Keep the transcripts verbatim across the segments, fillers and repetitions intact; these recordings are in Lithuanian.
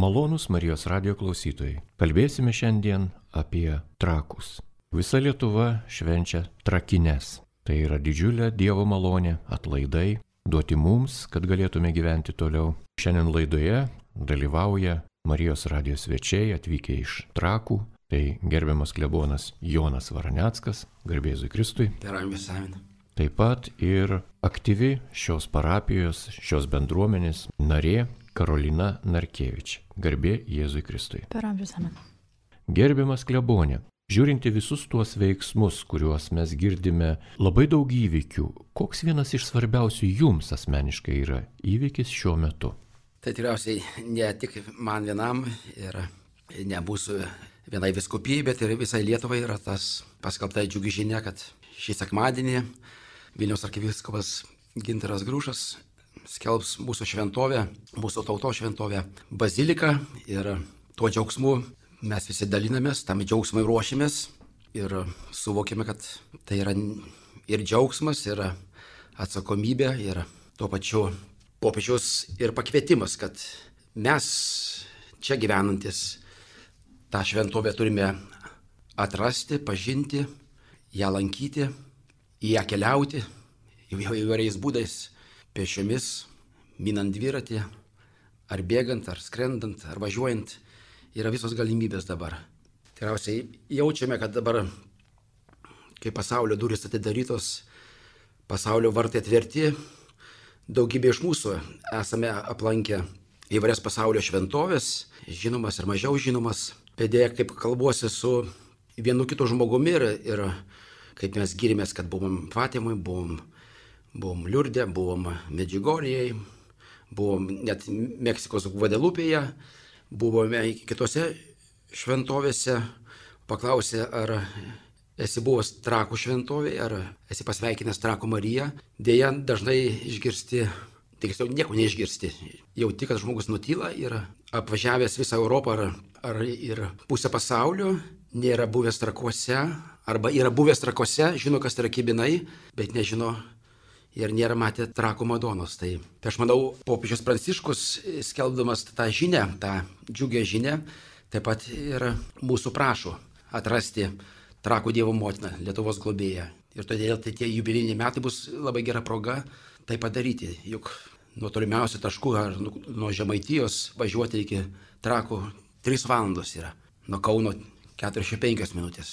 Malonūs Marijos radijo klausytojai. Kalbėsime šiandien apie trakus. Visa Lietuva švenčia trakines. Tai yra didžiulė Dievo malonė, atlaidai, duoti mums, kad galėtume gyventi toliau. Šiandien laidoje dalyvauja Marijos radijo svečiai atvykę iš Trakų. Tai gerbiamas klebonas Jonas Varaneckas, garbė Jėzui Kristui. Taip pat ir aktyvi šios parapijos, šios bendruomenės narė Karolina Narkevič, garbė Jėzui Kristui. Gerbiamas klebonė, žiūrinti visus tuos veiksmus, kuriuos mes girdime, labai daug įvykių, koks vienas iš svarbiausių jums asmeniškai yra įvykis šiuo metu? Tai tikriausiai ne tik man vienam ir ne mūsų vienai vyskupijai, bet ir visai Lietuvai yra tas paskelbta džiugi žinia, kad šį sekmadienį Vilniaus arkivyskupas Gintaras Grušas skelbs mūsų šventovę, mūsų tautos šventovę baziliką ir tuo džiaugsmu mes visi dalinamės, tam džiaugsmui ruošimės ir suvokime, kad tai yra ir džiaugsmas, ir atsakomybė, ir tuo pačiu popiežiaus ir pakvietimas, kad mes čia gyvenantis tą šventovę turime atrasti, pažinti, ją lankyti, į ją keliauti įvairiais būdais, pėsčiomis, minant dviratį, ar bėgant, ar skrendant, ar važiuojant, yra visos galimybės dabar. Tikriausiai jaučiame, kad dabar, kai pasaulio durys atidarytos, pasaulio vartai atverti, daugybė iš mūsų esame aplankę įvairias pasaulio šventovės, žinomas ir mažiau žinomas. Pėdėje, kaip kalbuosi su vienu kitu žmogumi ir, ir kaip mes gyrimės, kad buvom Fatimui, buvom Buvom Liurde, buvom Medžigorijai, buvom net Meksikos Gvadelupėje, buvome kitose šventovėse. Paklausė, ar esi buvęs Trakų šventovėje, ar esi pasveikinęs Trakų Mariją. Deja, dažnai išgirsti, tiksliau nieko neišgirsti. Jau tik, kad žmogus nutyla ir apvažiavęs visą Europą ar, ar ir pusę pasaulio, nėra buvęs Trakuose, arba yra buvęs Trakuose, žino, kas yra kibinai, bet nežino ir nėra matę Trakų Madonos. Tai, tai aš manau, popiežius Pranciškus, skelbdamas tą žinią, tą džiugę žinią, taip pat ir mūsų prašo atrasti Trakų Dievo motiną, Lietuvos globėją. Ir todėl tai tie jubiliejiniai metai bus labai gera proga tai padaryti. Juk nuo tolimiausių taškų ar nuo Žemaitijos važiuoti iki Trakų trys valandos yra. Nuo Kauno keturiasdešimt penkios minutės.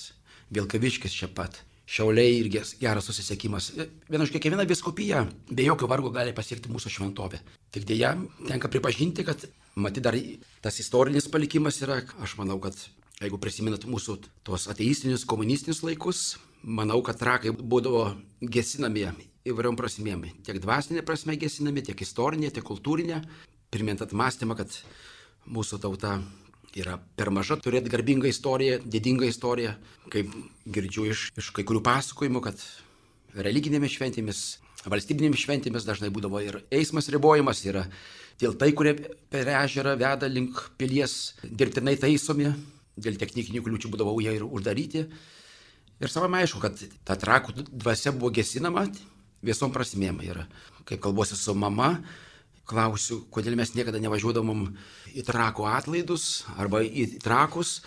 Vilkaviškis čia pat. Šiauliai irgi geras susisiekimas. Viena iš kiekviena vyskupija be jokio vargo gali pasiekti mūsų šventovę. Tik dėja, tenka pripažinti, kad matyt dar tas istorinis palikimas yra, aš manau, kad jeigu prisiminat mūsų tos ateistinius, komunistinius laikus, manau, kad trakai būdavo gesinami įvairiom prasmėm. Tiek dvasinė prasme gesinami, tiek istorinė, tiek kultūrinė. Primint atmastymą, kad mūsų tauta yra per maža turėti garbingą istoriją, didingą istoriją, kaip girdžiu iš, iš kai kurių pasakojimų, kad religinėmis šventėmis, valstybinėmis šventėmis dažnai būdavo ir eismas ribojimas, yra tiltai, kurie per ežerą veda link pilies, dirbtinai taisomi, dėl technikinių kliūčių būdavo jie ir uždaryti. Ir savame aišku, kad ta Trakų dvasia buvo gesinama visom prasmėm. Ir kaip kalbuosi su mama, klausiu, kodėl mes niekada nevažiuodavom į Trakų atlaidus arba į Trakus.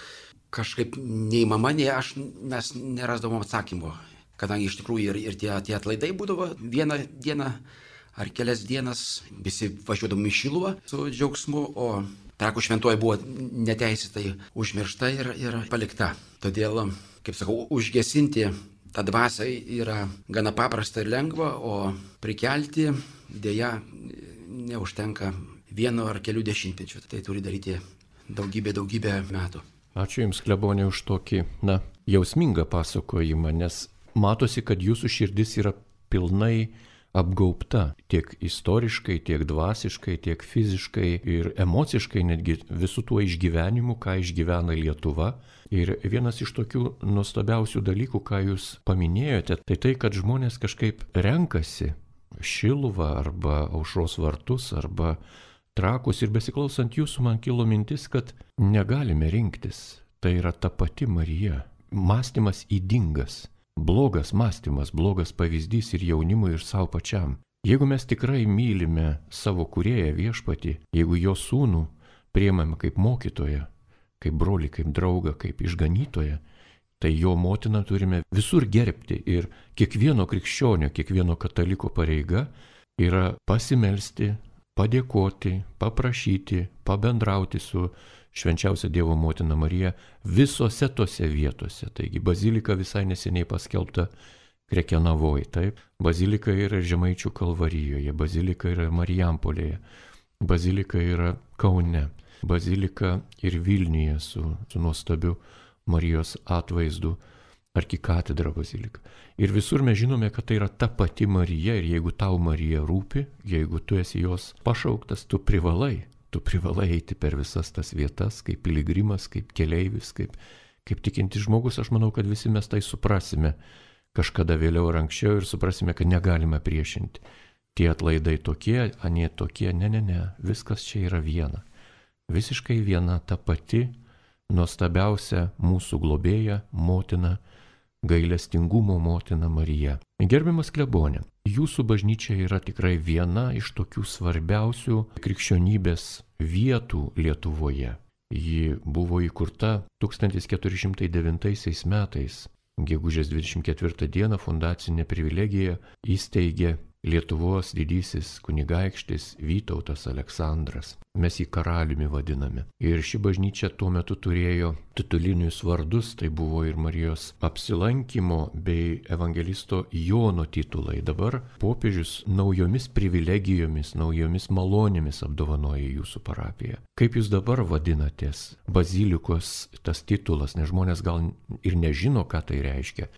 Kažkaip nei mama, nei aš mes nerasdavom atsakymo. Kadangi iš tikrųjų ir, ir tie, tie atlaidai būdavo vieną dieną ar kelias dienas, visi važiuodavom į Šiluvą su džiaugsmu, o Trakų šventoji buvo neteisėtai užmiršta ir, ir palikta. Todėl, kaip sakau, užgesinti tą dvasią yra gana paprasta ir lengva, o prikelti dėja neužtenka vieno ar kelių dešimtmečių. Tai turi daryti daugybę, daugybę metų. Ačiū Jums, klebonė, už tokį, na, jausmingą pasakojimą, nes matosi, kad Jūsų širdis yra pilnai apgaubta tiek istoriškai, tiek dvasiškai, tiek fiziškai ir emociškai, netgi visų tuo išgyvenimu, ką išgyvena Lietuva. Ir vienas iš tokių nuostabiausių dalykų, ką Jūs paminėjote, tai tai, kad žmonės kažkaip renkasi Šiluvą arba Aušros vartus arba Trakus, ir besiklausant Jūsų man kilo mintis, kad negalime rinktis. Tai yra ta pati Marija. Mąstymas ydingas, blogas mąstymas, blogas pavyzdys ir jaunimui, ir savo pačiam. Jeigu mes tikrai mylime savo kūrėją viešpatį, jeigu jo sūnų priemame kaip mokytoją, kaip brolį, kaip draugą, kaip išganytoją, tai jo motiną turime visur gerbti. Ir kiekvieno krikščionio, kiekvieno kataliko pareiga yra pasimelsti, padėkoti, paprašyti, pabendrauti su švenčiausia Dievo motina Marija visose tose vietose. Taigi bazilika visai neseniai paskelbta Krekenavoj, taip. Bazilika yra Žemaičių Kalvarijoje, bazilika yra Marijampolėje, bazilika yra Kaune, bazilika ir Vilniuje su, su nuostabiu Marijos atvaizdu, arkikatedra bazilika. Ir visur mes žinome, kad tai yra ta pati Marija ir jeigu tau Marija rūpi, jeigu tu esi jos pašauktas, tu privalai, tu privalai eiti per visas tas vietas, kaip piligrimas, kaip keleivis, kaip, kaip tikintis žmogus. Aš manau, kad visi mes tai suprasime kažkada vėliau ar anksčiau ir suprasime, kad negalime priešinti. Tie atlaidai tokie, anie tokie, ne, ne, ne, viskas čia yra viena. Visiškai viena ta pati nuostabiausia mūsų globėja, motina, gailestingumo motina Marija. Gerbiamas klebone, jūsų bažnyčia yra tikrai viena iš tokių svarbiausių krikščionybės vietų Lietuvoje. Ji buvo įkurta tūkstantis keturi šimtai devintaisiais metais. Gegužės dvidešimt ketvirtą dieną fundacinę privilegiją įsteigė Lietuvos didysis kunigaikštis Vytautas Aleksandras. Mes jį karaliumi vadiname. Ir ši bažnyčia tuo metu turėjo titulinius vardus, tai buvo ir Marijos apsilankimo bei evangelisto Jono titulai. Dabar popiežius naujomis privilegijomis, naujomis malonėmis apdovanoja jūsų parapiją. Kaip jūs dabar vadinatės bazilikos tas titulas, nes žmonės gal ir nežino, ką tai reiškia.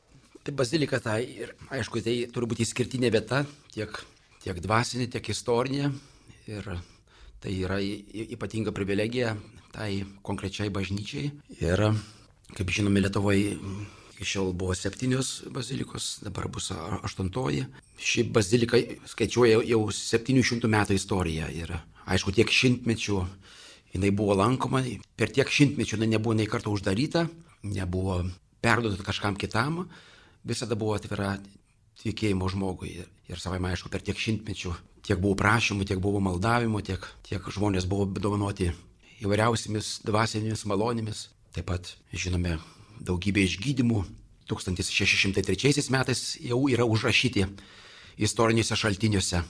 Tai bazilika, tai ir aišku, tai turi būti išskirtinė vieta, tiek, tiek dvasinė, tiek istorinė. Ir tai yra ypatinga privilegija tai konkrečiai bažnyčiai. Ir, kaip žinome, Lietuvoje iki šiol buvo septynios bazilikos, dabar bus aštuntoji. Ši bazilika skaičiuoja jau septynių šimtų metų istoriją. Ir aišku, tiek šimtmečių jinai buvo lankoma. Per tiek šimtmečių jinai nebuvo nei kartą uždaryta, nebuvo perduota kažkam kitam. Visada buvo atvira tikėjimo žmogui. Ir savai, aišku, per tiek šimtmečių tiek buvo prašymų, tiek buvo maldavimų, tiek, tiek žmonės buvo dovanoti įvairiausiamis dvasinėmis malonėmis. Taip pat, žinome, daugybė išgydymų. tūkstantis šeši šimtai trečiaisiais metais jau yra užrašyti istoriniuose šaltiniuose.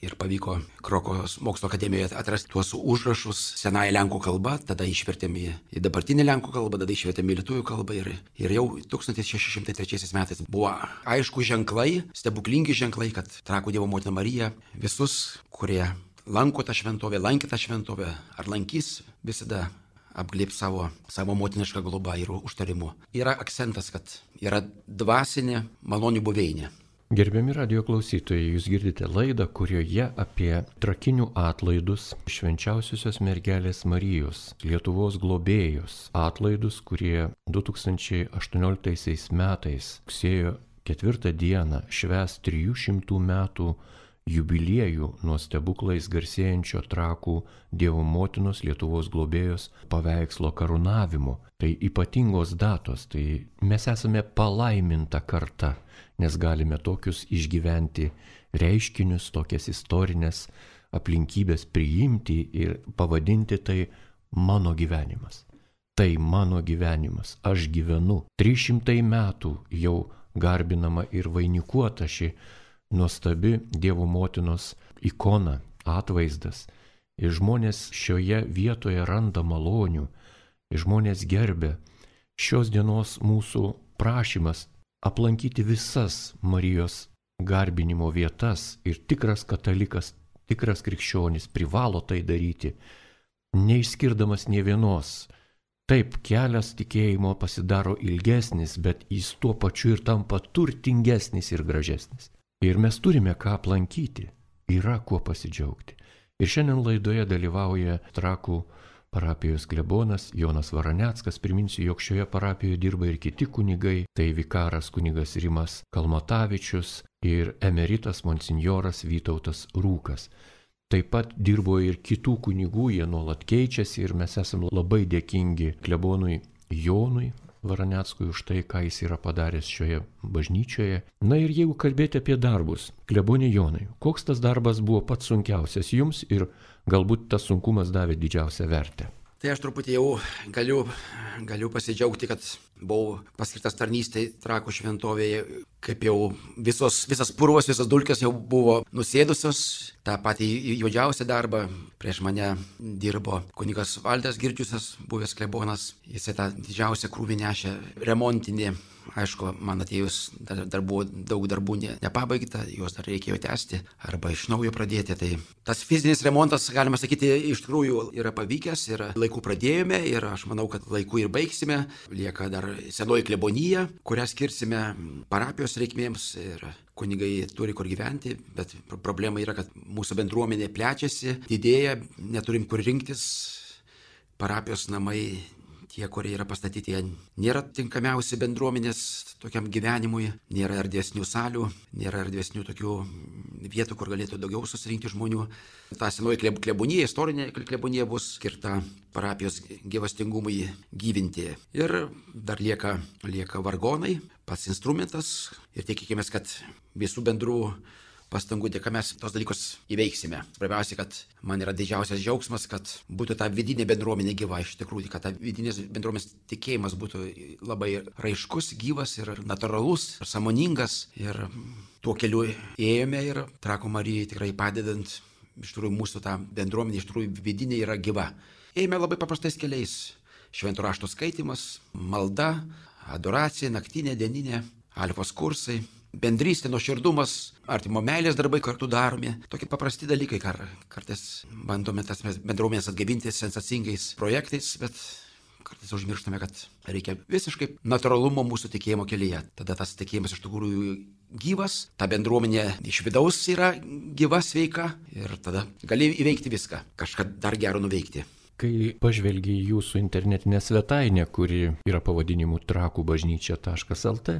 Ir pavyko Krokuvos mokslo akademijoje atrasti tuos užrašus senąją lenkų kalbą, tada išvertėme į dabartinę lenkų kalbą, tada išvertėme į lietuvių kalbą ir, ir jau tūkstantis šeši šimtai trečiaisiais metais buvo aišku ženklai, stebuklingi ženklai, kad Trakų Dievo motina Marija visus, kurie lanko tą šventovę, lankė tą šventovę ar lankys, visada apglėb savo, savo motinišką globą ir užtarimu. Yra akcentas, kad yra dvasinė malonių buveinė. Gerbiami radijo klausytojai, jūs girdite laidą, kurioje apie trakinių atlaidus švenčiausiosios mergelės Marijos, Lietuvos globėjos atlaidus, kurie du tūkstančiai aštuonioliktaisiais metais rugsėjo ketvirtą dieną švęs trijų šimtų metų jubiliejų nuo stebuklais garsėjančio Trakų Dievo motinos Lietuvos globėjos paveikslo karūnavimo. Tai ypatingos datos, tai mes esame palaiminta karta, nes galime tokius išgyventi reiškinius, tokias istorinės aplinkybės priimti ir pavadinti tai mano gyvenimas. Tai mano gyvenimas, aš gyvenu. trys šimtai metų jau garbinama ir vainikuota ši nuostabi Dievo motinos ikona, atvaizdas. Ir žmonės šioje vietoje randa malonių, ir žmonės gerbė. Šios dienos mūsų prašymas aplankyti visas Marijos garbinimo vietas ir tikras katalikas, tikras krikščionis privalo tai daryti, neišskirdamas nė vienos. Taip, kelias tikėjimo pasidaro ilgesnis, bet jis tuo pačiu ir tampa turtingesnis ir gražesnis. Ir mes turime ką aplankyti, yra kuo pasidžiaugti. Ir šiandien laidoje dalyvauja Trakų parapijos klebonas Jonas Varaneckas. Priminsiu, jog šioje parapijoje dirba ir kiti kunigai, tai vikaras kunigas Rimas Kalmatavičius ir emeritas monsinjoras Vytautas Rūkas. Taip pat dirbo ir kitų kunigų, jie nuolat keičiasi ir mes esame labai dėkingi klebonui Jonui Varaneckui už tai, ką jis yra padaręs šioje bažnyčioje. Na ir jeigu kalbėti apie darbus, klebonė Jonai, koks tas darbas buvo pats sunkiausias jums ir galbūt tas sunkumas davė didžiausią vertę? Tai aš truputį jau galiu, galiu pasidžiaugti, kad buvau paskirtas tarnystėje Trakų šventovėje, kaip jau visos, visas purvas, visas dulkės jau buvo nusėdusios. Ta pati juodžiausia darba prieš mane dirbo kunigas Valdas Girdžiusas, buvęs klebonas. Jisai tą didžiausią krūvį nešė remontinį. Aišku, man atėjus dar, dar buvo daug darbų ne, nepabaigta, juos dar reikėjo tęsti arba iš naujo pradėti. Tai tas fizinis remontas, galima sakyti, iš tikrųjų yra pavykęs ir laiku pradėjome ir aš manau, kad laiku ir baigsime. Lieka dar senoji klebonija, kurią skirsime parapijos reikmėms ir kunigai turi kur gyventi, bet problema yra, kad mūsų bendruomenė plečiasi, didėja, neturim kur rinktis, parapijos namai. Tie, kurie yra pastatyti, jie nėra tinkamiausi bendruomenės tokiam gyvenimui, nėra erdvesnių salių, nėra erdvesnių tokių vietų, kur galėtų daugiau susirinkti žmonių. Ta senoji klebonija, istorinė klebonija bus skirta parapijos gyvastingumui gyvinti. Ir dar lieka, lieka vargonai, pats instrumentas ir tikėkime, kad visų bendrų pastangų dėka mes tos dalykus įveiksime. Svarbiausia, kad man yra didžiausias džiaugsmas, kad būtų ta vidinė bendruomenė gyva iš tikrųjų, kad ta vidinės bendruomenės tikėjimas būtų labai raiškus, gyvas ir natūralus, ir sąmoningas. Ir tuo keliu ėjome ir Trakų Marijai tikrai padedant, iš tikrųjų mūsų ta bendruomenė iš tikrųjų vidinė yra gyva. Ėjome labai paprastais keliais. Švento rašto skaitimas, malda, adoracija, naktinė, dieninė, alfos kursai. Bendrystė, nuoširdumas, artimo meilės darbai kartu daromi. Tokie paprasti dalykai, kar, kartais bandome tas bendruomenės atgaivinti sensacingais projektais, bet kartais užmirštame, kad reikia visiškai natūralumo mūsų tikėjimo kelyje. Tada tas tikėjimas iš tikrųjų gyvas, ta bendruomenė iš vidaus yra gyva, sveika ir tada gali įveikti viską, kažką dar gero nuveikti. Kai pažvelgi į jūsų internetinę svetainę, kuri yra pavadinimu trakų bažnyčia taškas lt,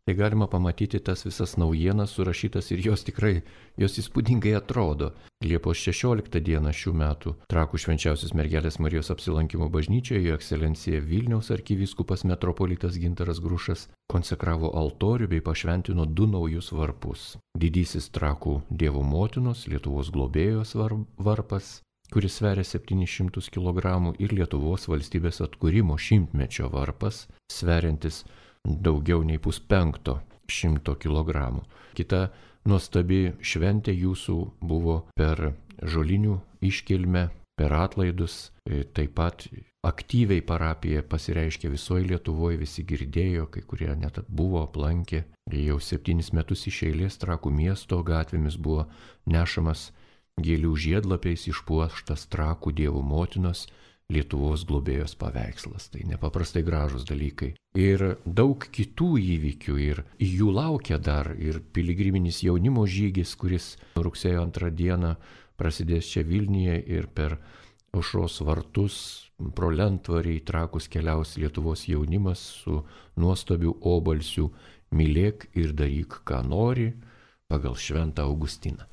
tai galima pamatyti tas visas naujienas surašytas ir jos tikrai, jos įspūdingai atrodo. Liepos šešioliktą dieną šių metų Trakų švenčiausios mergelės Marijos apsilankimo bažnyčioje jo ekscelencija Vilniaus arkivyskupas metropolitas Gintaras Grušas konsekravo altorių bei pašventino du naujus varpus. Didysis Trakų Dievo motinos, Lietuvos globėjos varpas, kuris sveria septynis šimtus kilogramų, ir Lietuvos valstybės atkūrimo šimtmečio varpas, sveriantis daugiau nei puspenkto šimto kilogramų. Kita nuostabi šventė jūsų buvo per žolinių iškilmę, per atlaidus. Taip pat aktyviai parapija pasireiškė visoje Lietuvoje, visi girdėjo, kai kurie net buvo aplankę. Jau septynis metus iš eilės Trakų miesto gatvėmis buvo nešamas gėlių žiedlapiais išpuoštas Trakų Dievo motinos Lietuvos globėjos paveikslas. Tai nepaprastai gražus dalykai. Ir daug kitų įvykių, ir jų laukia dar ir piligriminis jaunimo žygis, kuris rugsėjo antrą dieną prasidės čia Vilniuje, ir per Aušros vartus pro Lentvarį į Trakus keliaus Lietuvos jaunimas su nuostabiu obalsiu "Mylėk ir daryk, ką nori" pagal Šventą Augustiną.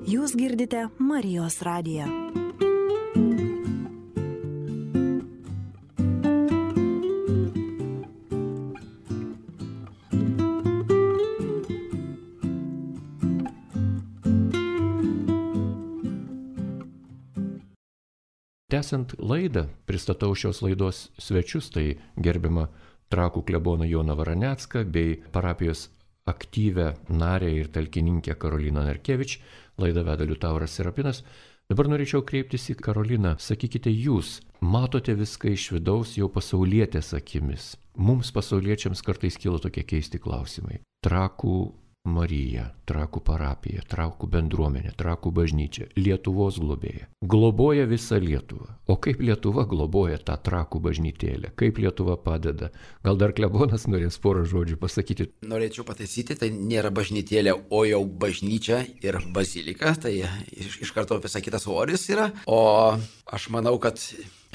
Jūs girdite Marijos radiją. Tęsiant laidą, pristatau šios laidos svečius, tai gerbiamą Trakų kleboną Joną Varanecką bei parapijos aktyvę narę ir talkininkę Karoliną Narkevič. Laidą veda Liutauras Serapinas. Dabar norėčiau kreiptis į Karoliną. Sakykite, jūs matote viską iš vidaus jau pasaulietės akimis. Mums pasauliečiams kartais kyla tokie keisti klausimai. Trakų Marija, Trakų parapija, Trakų bendruomenė, Trakų bažnyčia, Lietuvos globėja. Globoja visą Lietuvą. O kaip Lietuva globoja tą Trakų bažnytėlę? Kaip Lietuva padeda? Gal dar klebonas norės porą žodžių pasakyti? Norėčiau pataisyti, tai nėra bažnytėlė, o jau bažnyčia ir bazilika. Tai iš, iš karto visai kitas svoris yra. O aš manau, kad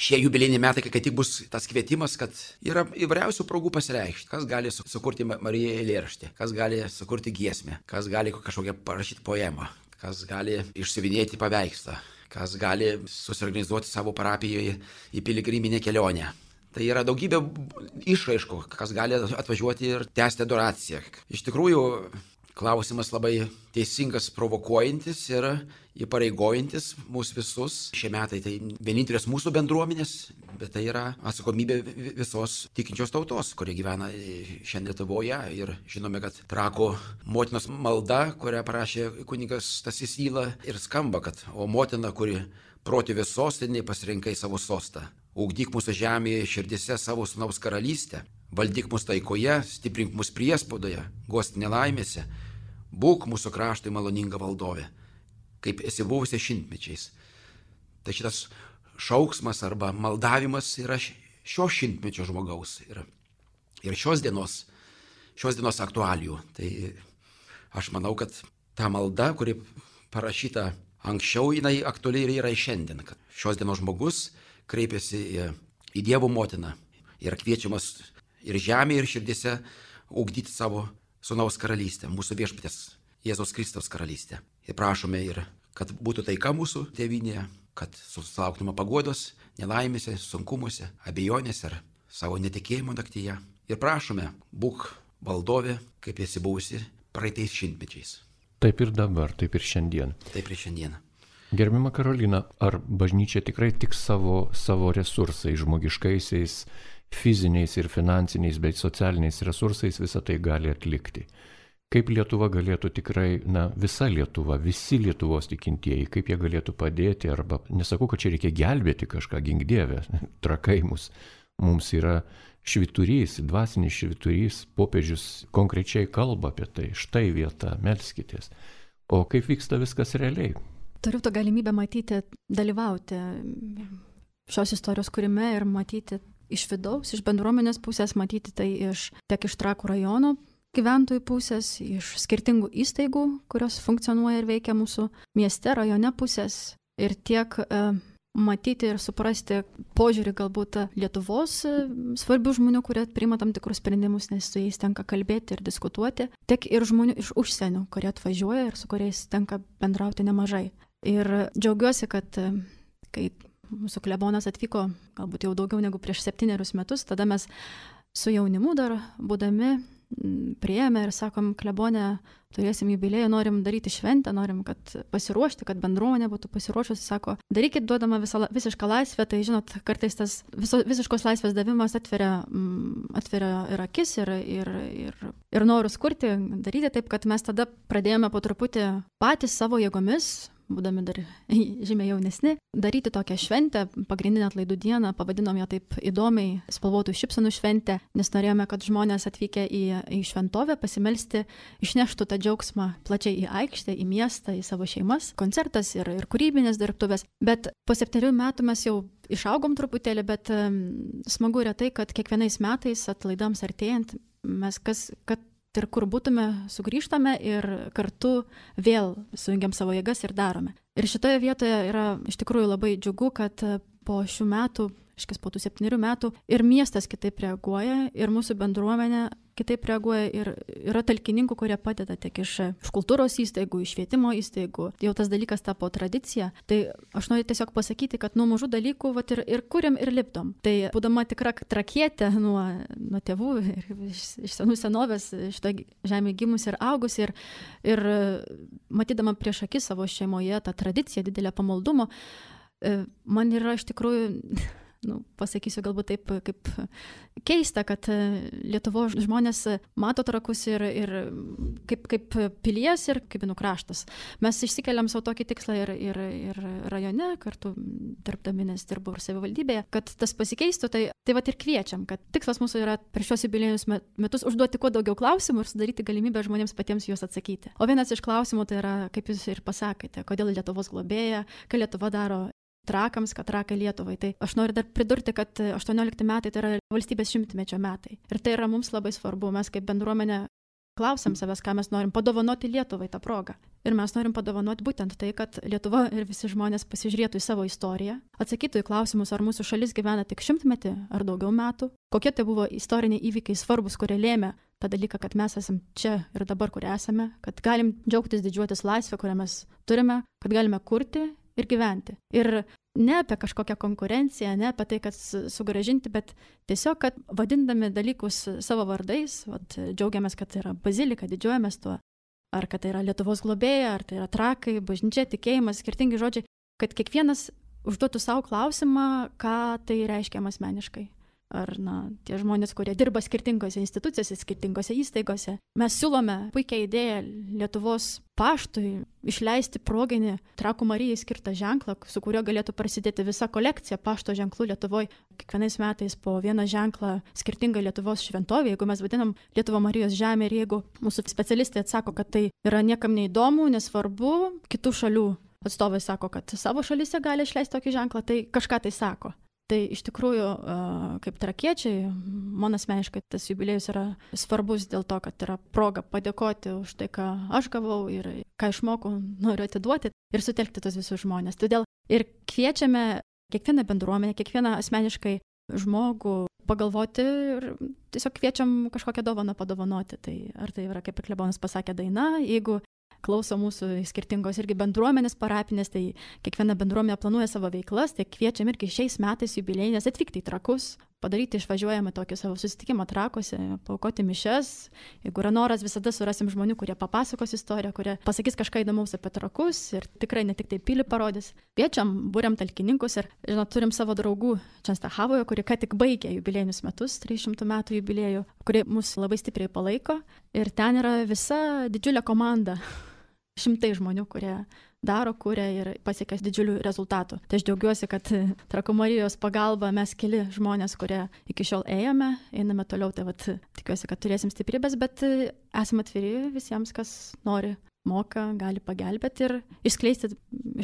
šie jubiliejiniai metai, kai tik bus tas kvietimas, kad yra įvairiausių progų pasireikšti. Kas gali sukurti Marijai eilėraštį, kas gali sukurti giesmę, kas gali kažkokią parašyti poemą, kas gali išsiuvinėti paveikslą, kas gali susiorganizuoti savo parapijoje į piligriminę kelionę. Tai yra daugybė išraiškų, kas gali atvažiuoti ir tęsti adoraciją. Iš tikrųjų, klausimas labai teisingas, provokuojantis ir įpareigojantis mūsų visus. Šie metai tai vienintelės mūsų bendruomenės, bet tai yra atsakomybė visos tikinčios tautos, kurie gyvena šiandien Lietuvoje. Ir žinome, kad Trakų motinos malda, kurią parašė kunigas Stasys Yla, ir skamba, kad o motina, kuri protėvės sostinėje pasirinkai savo sostą, ugdyk mūsų žemėje širdyse savo sūnaus karalystę, valdyk mus taikoje, stiprink mus priespaudoje, guost nelaimėse, būk mūsų kraštui maloninga valdovė, kaip esi buvusi šimtmečiais. Tai šitas šauksmas arba maldavimas yra šio šimtmečio žmogaus ir, ir šios dienos, šios dienos aktualijų. Tai aš manau, kad ta malda, kuri parašyta anksčiau, jinai aktualiai ir yra šiandien, kad šios dienos žmogus kreipiasi į, į Dievo motiną ir kviečiamas ir žemėje, ir širdėse ugdyti savo sūnaus karalystę, mūsų viešpatės Jėzaus Kristaus karalystę. Ir prašome ir, kad būtų taika mūsų tėvynėje, kad susilauktume paguodos, nelaimėse, sunkumuose, abejonėse ar savo netikėjimo naktyje. Ir prašome, būk valdovė, kaip esi buvusi praeitais šimtmečiais. Taip ir dabar, taip ir šiandien. Taip ir šiandien. Gerbiama Karolina, ar bažnyčia tikrai tik savo, savo resursais, žmogiškaisiais, fiziniais ir finansiniais bei socialiniais resursais visą tai gali atlikti? Kaip Lietuva galėtų tikrai, na, visa Lietuva, visi Lietuvos tikintieji, kaip jie galėtų padėti, arba nesakau, kad čia reikia gelbėti kažką, gink Dieve, trakai mus. Mums yra švyturys, dvasinis švyturys, popiežius konkrečiai kalba apie tai, štai vieta, melskitės. O kaip vyksta viskas realiai? Turiu tą galimybę matyti, dalyvauti šios istorijos kūrime ir matyti iš vidaus, iš bendruomenės pusės, matyti tai iš, tiek iš Trakų rajono gyventojų pusės, iš skirtingų įstaigų, kurios funkcionuoja ir veikia mūsų mieste, rajone pusės, ir tiek e, matyti ir suprasti požiūrį galbūt Lietuvos e, svarbių žmonių, kurie priima tam tikrus sprendimus, nes su jais tenka kalbėti ir diskutuoti, tiek ir žmonių iš užsienio, kurie atvažiuoja ir su kuriais tenka bendrauti nemažai. Ir džiaugiuosi, kad e, kai mūsų klebonas atvyko galbūt jau daugiau negu prieš septynerius metus, tada mes su jaunimu dar būdami priėmė ir sakom, klebone, turėsim jubiliejų, norim daryti šventę, norim, kad pasiruošti, kad bendruomenė būtų pasiruošusi, sako, darykit duodama visą, visišką laisvę, tai žinot, kartais tas viso, visiškos laisvės davimas atveria, atveria ir akis, ir, ir, ir, ir norus kurti, daryti taip, kad mes tada pradėjome po truputį patys savo jėgomis, būdami dar žymiai jaunesni, daryti tokią šventę, pagrindinę atlaidų dieną, pavadinom ją taip įdomiai spalvotų šypsenų šventę, nes norėjome, kad žmonės atvykę į, į šventovę pasimelsti išneštų tą džiaugsmą plačiai į aikštę, į miestą, į savo šeimas, koncertas ir, ir kūrybinės dirbtuvės. Bet po septynerių metų mes jau išaugom truputėlį, bet um, smagu yra tai, kad kiekvienais metais atlaidams artėjant mes kas, kad ir kur būtume, sugrįžtame ir kartu vėl sujungiam savo jėgas ir darome. Ir šitoje vietoje yra iš tikrųjų labai džiugu, kad po šių metų, iškis po tų septynerių metų, ir miestas kitaip reaguoja, ir mūsų bendruomenė kitaip reaguoja, ir yra talkininkų, kurie padeda tiek iš, iš kultūros įstaigų, iš švietimo įstaigų. Jau tas dalykas tapo tradicija. Tai aš noriu tiesiog pasakyti, kad nuo mažų dalykų vat, ir, ir kuriam, ir lipdom. Tai būdama tikra trakietė nuo, nuo tėvų ir iš, iš senų senovės šitoje žemėje gimus ir augus, ir, ir matydama prieš akis savo šeimoje tą tradiciją, didelę pamaldumo, man yra iš tikrųjų nu, pasakysiu galbūt taip, kaip keista, kad Lietuvos žmonės mato Trakus ir, ir kaip, kaip pilies ir kaip Binų kraštas. Mes išsikeliam savo tokį tikslą ir, ir, ir rajone, kartu dirbdami, nes dirbu ir savivaldybėje, kad tas pasikeistų, tai, tai vat ir kviečiam, kad tikslas mūsų yra per šios jubiliejinius metus užduoti kuo daugiau klausimų ir sudaryti galimybę žmonėms patiems juos atsakyti. O vienas iš klausimų tai yra, kaip jūs ir pasakėte, kodėl Lietuvos globėja, ką Lietuva daro Trakams, kad Trakai Lietuvai. Tai aš noriu dar pridurti, kad aštuoniolikti metai tai yra valstybės šimtmečio metai. Ir tai yra mums labai svarbu. Mes kaip bendruomenė klausiam savęs, ką mes norim padovanoti Lietuvai tą progą. Ir mes norim padovanoti būtent tai, kad Lietuva ir visi žmonės pasižiūrėtų į savo istoriją, atsakytų į klausimus, ar mūsų šalis gyvena tik šimtmetį ar daugiau metų, kokie tai buvo istoriniai įvykiai svarbus, kurie lėmė tą dalyką, kad mes esam čia ir dabar, kur esame, kad galim džiaugtis, didžiuotis laisvę, kurią mes turime, kad galime kurti ir gyventi. Ir ne apie kažkokią konkurenciją, ne apie tai, kad sugražinti, bet tiesiog, kad vadindami dalykus savo vardais, vat, džiaugiamės, kad tai yra bazilika, didžiuojamės tuo, ar kad tai yra Lietuvos globėja, ar tai yra Trakai, bažnyčia, tikėjimas, skirtingi žodžiai, kad kiekvienas užduotų savo klausimą, ką tai reiškia asmeniškai. Ar na, tie žmonės, kurie dirba skirtingose institucijose, skirtingose įstaigose. Mes siūlome puikią idėją Lietuvos paštui išleisti proginį Trakų Marijai skirtą ženklą, su kuriuo galėtų prasidėti visa kolekcija pašto ženklų Lietuvoje. Kiekvienais metais po vieną ženklą skirtingą Lietuvos šventovę, jeigu mes vadinam Lietuvo Marijos žemė ir jeigu mūsų specialistai atsako, kad tai yra niekam neįdomu, nesvarbu, kitų šalių atstovai sako, kad savo šalyse gali išleisti tokį ženklą, tai kažką tai sako. Tai iš tikrųjų, kaip trakiečiai, man asmeniškai tas jubiliejus yra svarbus dėl to, kad yra proga padėkoti už tai, ką aš gavau ir ką išmokau, noriu atiduoti ir sutelkti tos visus žmonės. Todėl ir kviečiame kiekvieną bendruomenę, kiekvieną asmeniškai žmogų pagalvoti ir tiesiog kviečiam kažkokią dovaną padovanoti. Tai ar tai yra, kaip ir klebonas pasakė, daina, jeigu klauso mūsų skirtingos irgi bendruomenės parapinės, tai kiekviena bendruomenė planuoja savo veiklas, tai kviečiam irgi šiais metais jubiliejinės atvykti į Trakus, padaryti išvažiuojamą tokį savo susitikimą Trakuose, paaukoti mišias. Jeigu yra noras, visada surasim žmonių, kurie papasakos istoriją, kurie pasakys kažką įdomaus apie Trakus ir tikrai ne tik tai pilį parodys. Kviečiam, būriam talkininkus ir, žinot, turim savo draugų Čenstachavoje, kurie ką tik baigė jubiliejinius metus, trys šimtų metų jubiliejų, kurie mus labai stipriai palaiko ir ten yra visa didžiulė komanda. Šimtai žmonių, kurie daro, kuria ir pasiekia didžiulių rezultatų. Tai aš džiaugiuosi, kad Trakų Marijos pagalba mes keli žmonės, kurie iki šiol ėjome, einame toliau, tai vat, tikiuosi, kad turėsim stiprybės, bet esame atviri visiems, kas nori, moka, gali pagelbėti ir išskleisti,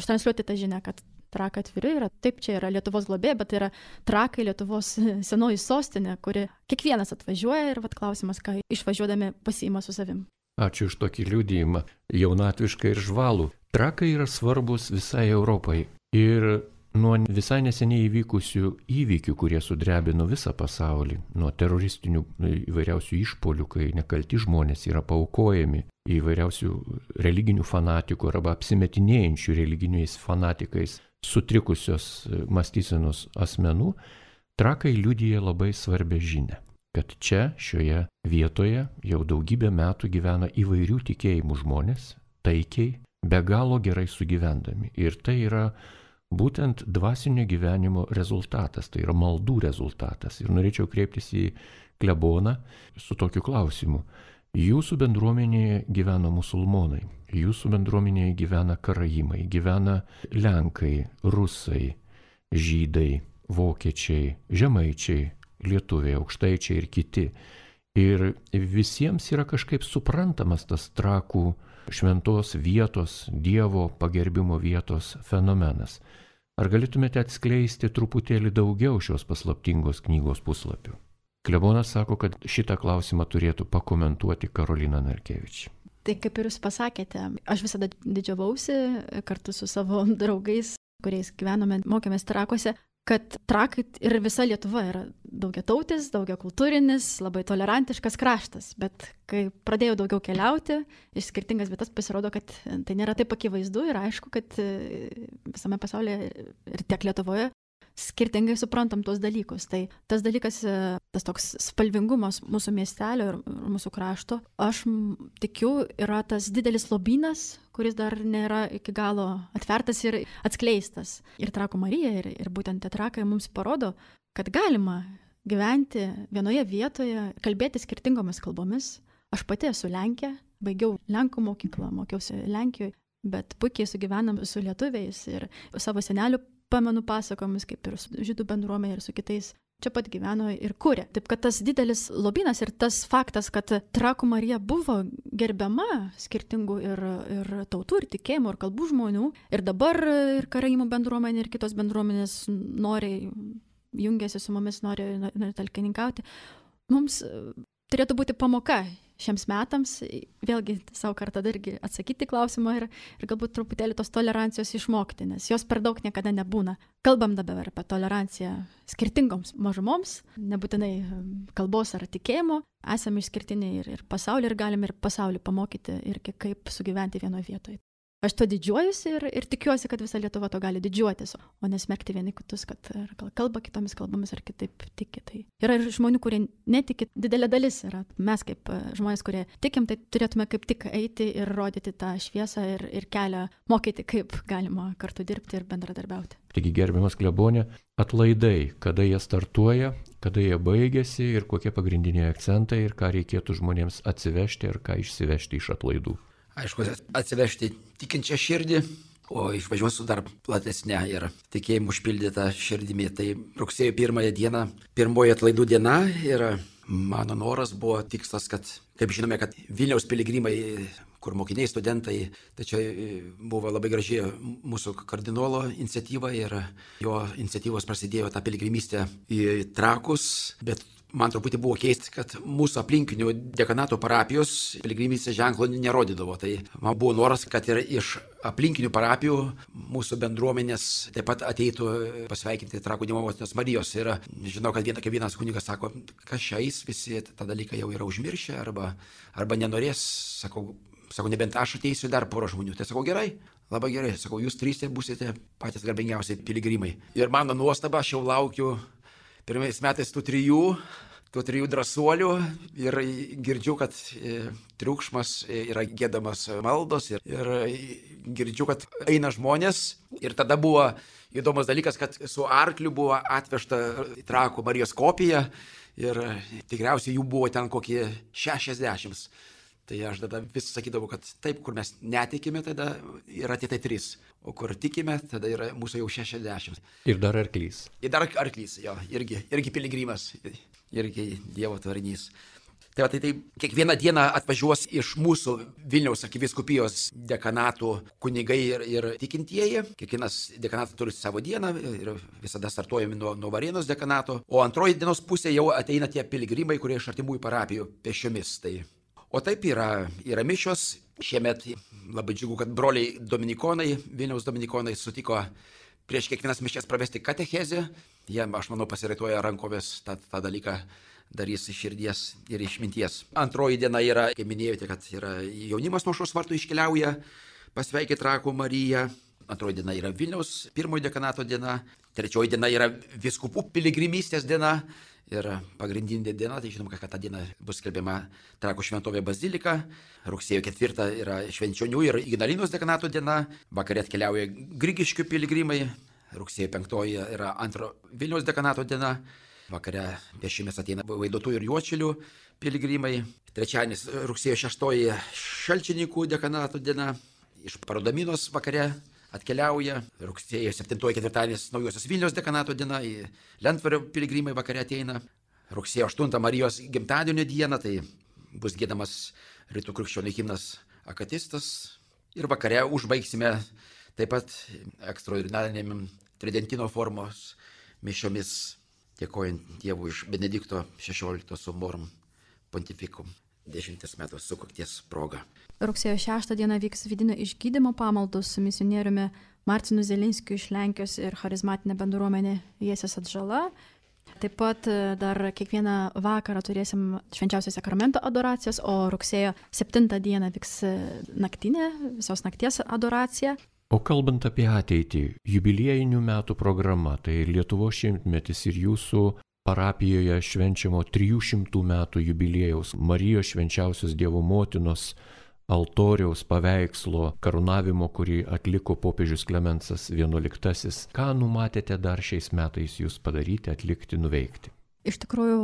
ištransliuoti tą žinią, kad Trakai atviri yra. Taip, čia yra Lietuvos globėja, bet tai yra Trakai, Lietuvos senoji sostinė, kuri kiekvienas atvažiuoja ir vat klausimas, ką išvažiuodami pasiima su savim. Ačiū už tokį liudijimą, jaunatvišką ir žvalų. Trakai yra svarbus visai Europai ir nuo visai neseniai įvykusių įvykių, kurie sudrebino visą pasaulį, nuo teroristinių įvairiausių išpolių, kai nekalti žmonės yra paaukojami, įvairiausių religinių fanatikų arba apsimetinėjančių religiniais fanatikais sutrikusios mąstysenos asmenų, Trakai liudija labai svarbią žinią, kad čia, šioje vietoje jau daugybę metų gyvena įvairių tikėjimų žmonės, taikiai, be galo gerai sugyvendami. Ir tai yra būtent dvasinio gyvenimo rezultatas, tai yra maldų rezultatas. Ir norėčiau kreiptis į kleboną su tokiu klausimu. Jūsų bendruomenėje gyvena musulmonai, jūsų bendruomenėje gyvena karaimai, gyvena lenkai, rusai, žydai, vokiečiai, žemaičiai, lietuviai, aukštaičiai ir kiti. Ir visiems yra kažkaip suprantamas tas Trakų šventos vietos, Dievo pagerbimo vietos fenomenas. Ar galėtumėte atskleisti truputėlį daugiau šios paslaptingos knygos puslapių? Klebonas sako, kad šitą klausimą turėtų pakomentuoti Karolina Narkevič. Tai kaip ir jūs pasakėte, aš visada didžiavausi kartu su savo draugais, kuriais gyvenome, mokėmės Trakuose, kad Trakai ir visa Lietuva yra daugiatautis, daugiakultūrinis, labai tolerantiškas kraštas. Bet kai pradėjau daugiau keliauti iš skirtingas vietas, pasirodo, kad tai nėra taip akivaizdu ir aišku, kad visame pasaulyje ir tiek Lietuvoje skirtingai suprantam tuos dalykus. Tai tas dalykas, tas toks spalvingumas mūsų miestelio ir mūsų krašto, aš tikiu, yra tas didelis lobynas, kuris dar nėra iki galo atvertas ir atskleistas. Ir Trakų Marija, ir, ir būtent tie trakai mums parodo, kad galima gyventi vienoje vietoje, kalbėti skirtingomis kalbomis. Aš pati esu Lenkė, baigiau Lenkų mokyklą, mokiausi Lenkijoje, bet puikiai sugyvenam su lietuviais ir savo senelių pamenu pasakomis, kaip ir su žydų bendruomenė ir su kitais. Čia pat gyveno ir kūrė. Taip kad tas didelis lobynas ir tas faktas, kad Trakų Marija buvo gerbiama skirtingų ir, ir tautų, ir tikėjimų, ir kalbų žmonių. Ir dabar ir karaimų bendruomenė, ir kitos bendruomenės noriai jungiasi su mumis, nori, nori talkininkauti. Mums turėtų būti pamoka šiems metams, vėlgi savo kartą dargi atsakyti klausimą ir, ir galbūt truputėlį tos tolerancijos išmokti, nes jos per daug niekada nebūna. Kalbam dabar apie toleranciją skirtingoms mažumoms, nebūtinai kalbos ar tikėjimo, esame išskirtiniai ir, ir pasaulį ir galime ir pasaulį pamokyti ir kaip sugyventi vienoje vietoje. Aš to didžiuojuosi ir, ir tikiuosi, kad visa Lietuva to gali didžiuotis, o nesmerkti vieni kitus, kad kalba kitomis kalbomis ar kitaip tiki. Tai yra ir žmonių, kurie netiki, didelė dalis yra. Mes kaip žmonės, kurie tikim, tai turėtume kaip tik eiti ir rodyti tą šviesą ir, ir kelią, mokyti, kaip galima kartu dirbti ir bendradarbiauti. Taigi, gerbiamas klebonė, atlaidai, kada jie startuoja, kada jie baigėsi ir kokie pagrindiniai akcentai ir ką reikėtų žmonėms atsivežti ir ką išsivežti iš atlaidų. Aišku, atsivežti tikinčią širdį, o išvažiuosiu dar platesnę ir tikėjimų užpildytą širdimi. Tai rugsėjo pirmąją dieną, pirmoji atlaidų diena ir mano noras buvo tikslas, kad, kaip žinome, kad Vilniaus piligrimai, kur mokiniai, studentai, tai čia buvo labai graži mūsų kardinolo iniciatyva ir jo iniciatyvos prasidėjo ta piligrimystė į Trakus, bet man truputį buvo keista, kad mūsų aplinkinių dekanato parapijos piligrimystės ženklo nerodydavo. Tai man buvo noras, kad ir iš aplinkinių parapijų mūsų bendruomenės taip pat ateitų pasveikinti Trakų Dievo Motinos Marijos. Ir žinau, kad vienas, vienas kunigas sako, kas šiais visi tą dalyką jau yra užmiršę arba, arba nenorės. Sakau, sakau, nebent aš ateisiu dar porą žmonių. Tai sakau, gerai. Labai gerai. Sakau, jūs trys būsite patys garbingiausi piligrimai. Ir mano nuostaba, aš jau laukiu pirmais metais tų trijų, tų trijų drąsuolių ir girdžiu, kad e, triukšmas yra giedamas maldos ir, ir girdžiu, kad eina žmonės. Ir tada buvo įdomus dalykas, kad su arkliu buvo atvežta Trakų Marijos kopija ir tikriausiai jų buvo ten kokie šešiasdešimt. Tai aš tada vis sakydavau, kad taip, kur mes netikime, tada yra tie tai trys, o kur tikime, tada yra mūsų jau šešiasdešimt. Ir dar arklys. Ir dar arklys, jo, irgi, irgi piligrimas, irgi Dievo tvarinys. Tai, va, tai, tai kiekvieną dieną atvažiuos iš mūsų Vilniaus arkivyskupijos dekanatų kunigai ir, ir tikintieji. Kiekvienas dekanatas turi savo dieną ir visada startuojami nuo, nuo Varėnos dekanato. O antroji dienos pusė jau ateina tie piligrimai, kurie iš artimųjų parapijų pešiomis. Tai O taip yra, yra mišios. Šiemet labai džiugu, kad broliai dominikonai, Vilniaus dominikonai sutiko prieš kiekvienas mišias pravesti katechezę. Jie, aš manau, pasiraitoja rankovės tą, tą dalyką darys iš širdies ir iš minties. Antroji diena yra, kaip minėjote, kad yra jaunimas nuo aušros vartų iškeliauja pasveikinti Trakų Mariją. Antroji diena yra Vilniaus pirmojo dekanato diena. Trečioji diena yra vyskupų piligrimystės diena. Ir pagrindinė diena, tai žinoma, kad tą dieną bus skelbiama Trakų šventovė bazilika. Rugsėjo ketvirtą yra Švenčionių ir Ignalinos dekanato diena. Vakare atkeliauja Grigiškių piligrimai. Rugsėjo penktoji yra antro Vilniaus dekanato diena. Vakare pešiomis ateina Vaidotų ir Juodšilių piligrimai. Trečiadienis rugsėjo šeštoji Šalčininkų dekanato diena. Iš Parodaminos vakare atkeliauja. Rugsėjo septintoji ketvirtadienis Naujosios Vilniaus dekanato diena, į Lentvario piligrimai vakare ateina. Rugsėjo aštuntą Marijos gimtadienio dieną, tai bus giedamas rytų krikščionių himnas Akatistas. Ir vakare užbaigsime taip pat ekstraordinarinėm tridentino formos mišiomis, dėkojant Dievui iš Benedikto šešiolikto sumorum pontifikum dešimties metų sukakties proga. Rugsėjo šeštą dieną vyks vidinio išgydymo pamaldos su misionieriumi Marcinu Zelinskiu iš Lenkijos ir charizmatinė bendruomenė Jėzus Atžala. Taip pat dar kiekvieną vakarą turėsim švenčiausio sakramento adoracijas, o rugsėjo septintą dieną vyks naktinė, visos nakties adoracija. O kalbant apie ateitį, jubiliejinių metų programa, tai Lietuvos šimtmetis ir jūsų parapijoje švenčiamo trijų šimtų metų jubiliejaus Marijos švenčiausios Dievo motinos altoriaus paveikslo karūnavimo, kurį atliko popiežius Klemensas vienuoliktasis. Ką numatėte dar šiais metais jūs padaryti, atlikti, nuveikti? Iš tikrųjų,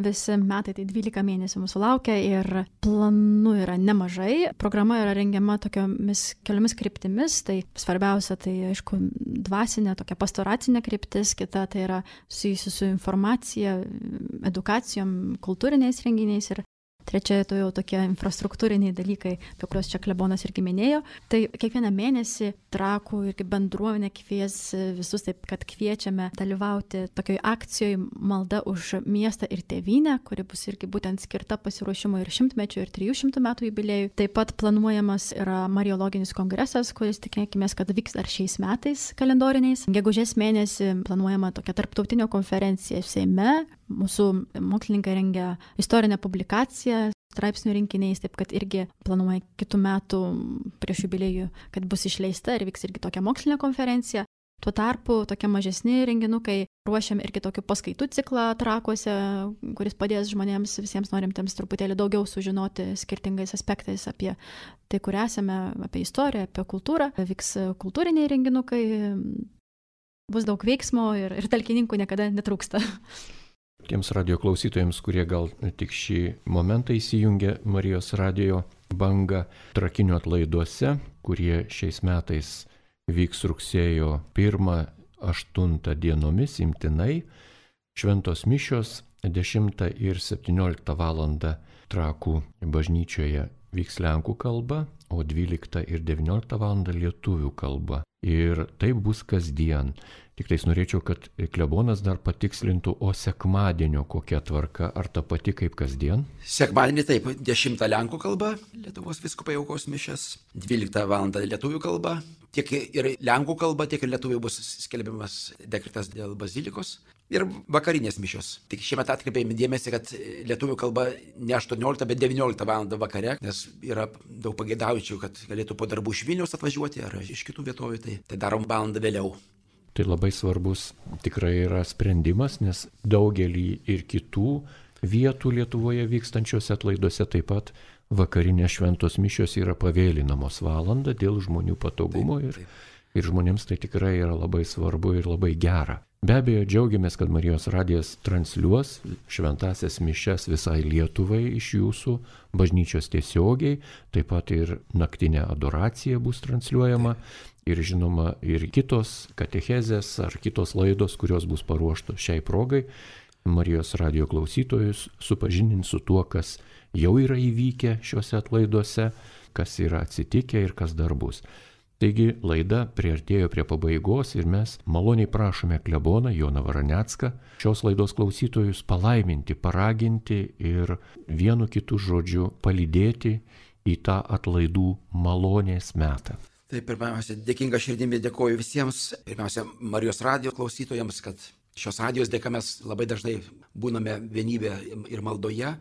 visi metai tai dvylika mėnesių mūsų laukia ir planų yra nemažai. Programa yra rengiama tokiomis keliomis kryptimis. Tai svarbiausia, tai aišku, dvasinė, tokia pastoracinė kryptis, kita tai yra susijusi su informacija, edukacijom, kultūriniais renginiais ir trečia, tai jau tokie infrastruktūriniai dalykai, apie kuriuos čia klebonas irgi minėjo. Tai kiekvieną mėnesį Trakų irgi bendruomenė kvies visus, taip kad kviečiame dalyvauti tokioj akcijoje Malda už miestą ir tėvynę, kuri bus irgi būtent skirta pasiruošimo ir šimtmečio ir trijų šimtų metų jubiliejui. Taip pat planuojamas yra Mariologinis kongresas, kuris tikėkime, kad vyks dar šiais metais kalendoriniais. Gegužės mėnesį planuojama tokia tarptautinė konferencija Seime. Mūsų mokslininkai rengia istorinę publikaciją straipsnių rinkiniais, taip kad irgi planuoja kitų metų prieš jubiliejų, kad bus išleista ir vyks irgi tokia mokslinė konferencija. Tuo tarpu tokie mažesni renginukai ruošiam irgi tokių paskaitų ciklą Trakuose, kuris padės žmonėms, visiems norintiems truputėlį daugiau sužinoti skirtingais aspektais apie tai, kur esame, apie istoriją, apie kultūrą. Vyks kultūriniai renginukai, bus daug veiksmo ir, ir talkininkų niekada netrūksta. Tiems radio klausytojams, kurie gal tik šį momentą įsijungia Marijos radio bangą Trakinių atlaiduose, kurie šiais metais vyks rugsėjo pirmą aštuntą dienomis imtinai, šventos mišios dešimtą ir septynioliktą valandą Trakų bažnyčioje vyks lenkų kalba, o dvyliktą ir devynioliktą valandą lietuvių kalba. Ir tai bus kasdien. Tik tais norėčiau, kad klebonas dar patikslintų, o sekmadienio kokia tvarka, ar ta pati kaip kasdien? Sekmadienį taip, dešimtą lenkų kalba, Lietuvos vyskupai aukos mišias, dvyliktą valandą lietuvių kalba, tiek ir lenkų kalba, tiek ir lietuvių bus skelbiamas dekretas dėl bazilikos. Ir vakarinės mišios. Tik šiemet atkreipėme dėmesį, kad lietuvių kalba ne aštuonioliktą, bet devynioliktą valandą vakare, nes yra daug pageidaujančių, kad galėtų po darbų iš Vilniaus atvažiuoti ar iš kitų vietovių, tai, tai darom valandą vėliau. Tai labai svarbus tikrai yra sprendimas, nes daugelį ir kitų vietų Lietuvoje vykstančiose atlaiduose taip pat vakarinės šventos mišios yra pavėlinamos valandą dėl žmonių patogumo ir, ir žmonėms tai tikrai yra labai svarbu ir labai gera. Be abejo, džiaugiamės, kad Marijos radijas transliuos šventasias mišias visai Lietuvai iš jūsų bažnyčios tiesiogiai, taip pat ir naktinė adoracija bus transliuojama ir žinoma ir kitos katechezės ar kitos laidos, kurios bus paruoštos šiai progai. Marijos radijo klausytojus supažindins su tuo, kas jau yra įvykę šiuose atlaiduose, kas yra atsitikę ir kas dar bus. Taigi laida priartėjo prie pabaigos ir mes maloniai prašome kleboną Joną Varanecką šios laidos klausytojus palaiminti, paraginti ir vienu kitu žodžiu palydėti į tą atlaidų malonės metą. Tai pirmiausia, dėkinga širdimi dėkoju visiems, pirmiausia, Marijos radijo klausytojams, kad šios radijos dėka mes labai dažnai būname vienybė ir maldoje,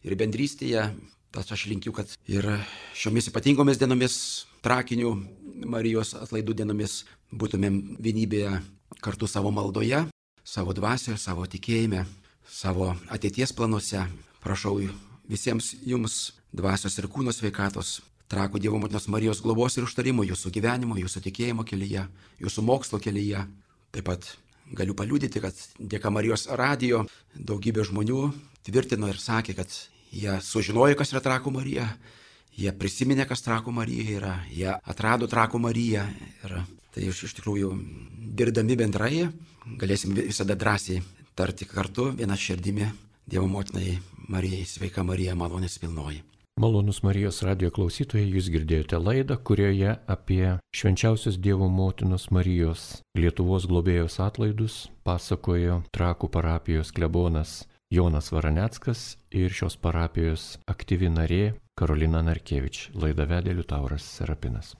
ir bendrystėje. Tad aš linkiu, kad ir šiomis ypatingomis dienomis, Trakinių Marijos atlaidų dienomis, būtumėm vienybėje kartu savo maldoje, savo dvasioje, savo tikėjime, savo ateities planuose. Prašau visiems jums dvasios ir kūno sveikatos, Trakų Dievo motinos Marijos globos ir užtarimo jūsų gyvenimo, jūsų tikėjimo kelyje, jūsų mokslo kelyje. Taip pat galiu paliudyti, kad dėka Marijos radijo daugybė žmonių tvirtino ir sakė, kad jie sužinojo, kas yra Trakų Marija, jie prisiminė, kas Trakų Marija yra, jie atrado Trakų Mariją. Ir tai iš, iš tikrųjų, dirbdami bendrai, galėsim visada drąsiai tarti kartu vieną širdimi Dievo motinai Marijai, sveika Marija, malonės pilnoji. Malonus Marijos radijo klausytojai, jūs girdėjote laidą, kurioje apie švenčiausios Dievo motinos Marijos Lietuvos globėjos atlaidus pasakojo Trakų parapijos klebonas Jonas Varaneckas ir šios parapijos aktyvi narė Karolina Narkevič. Laidą vedė Liutauras Serapinas.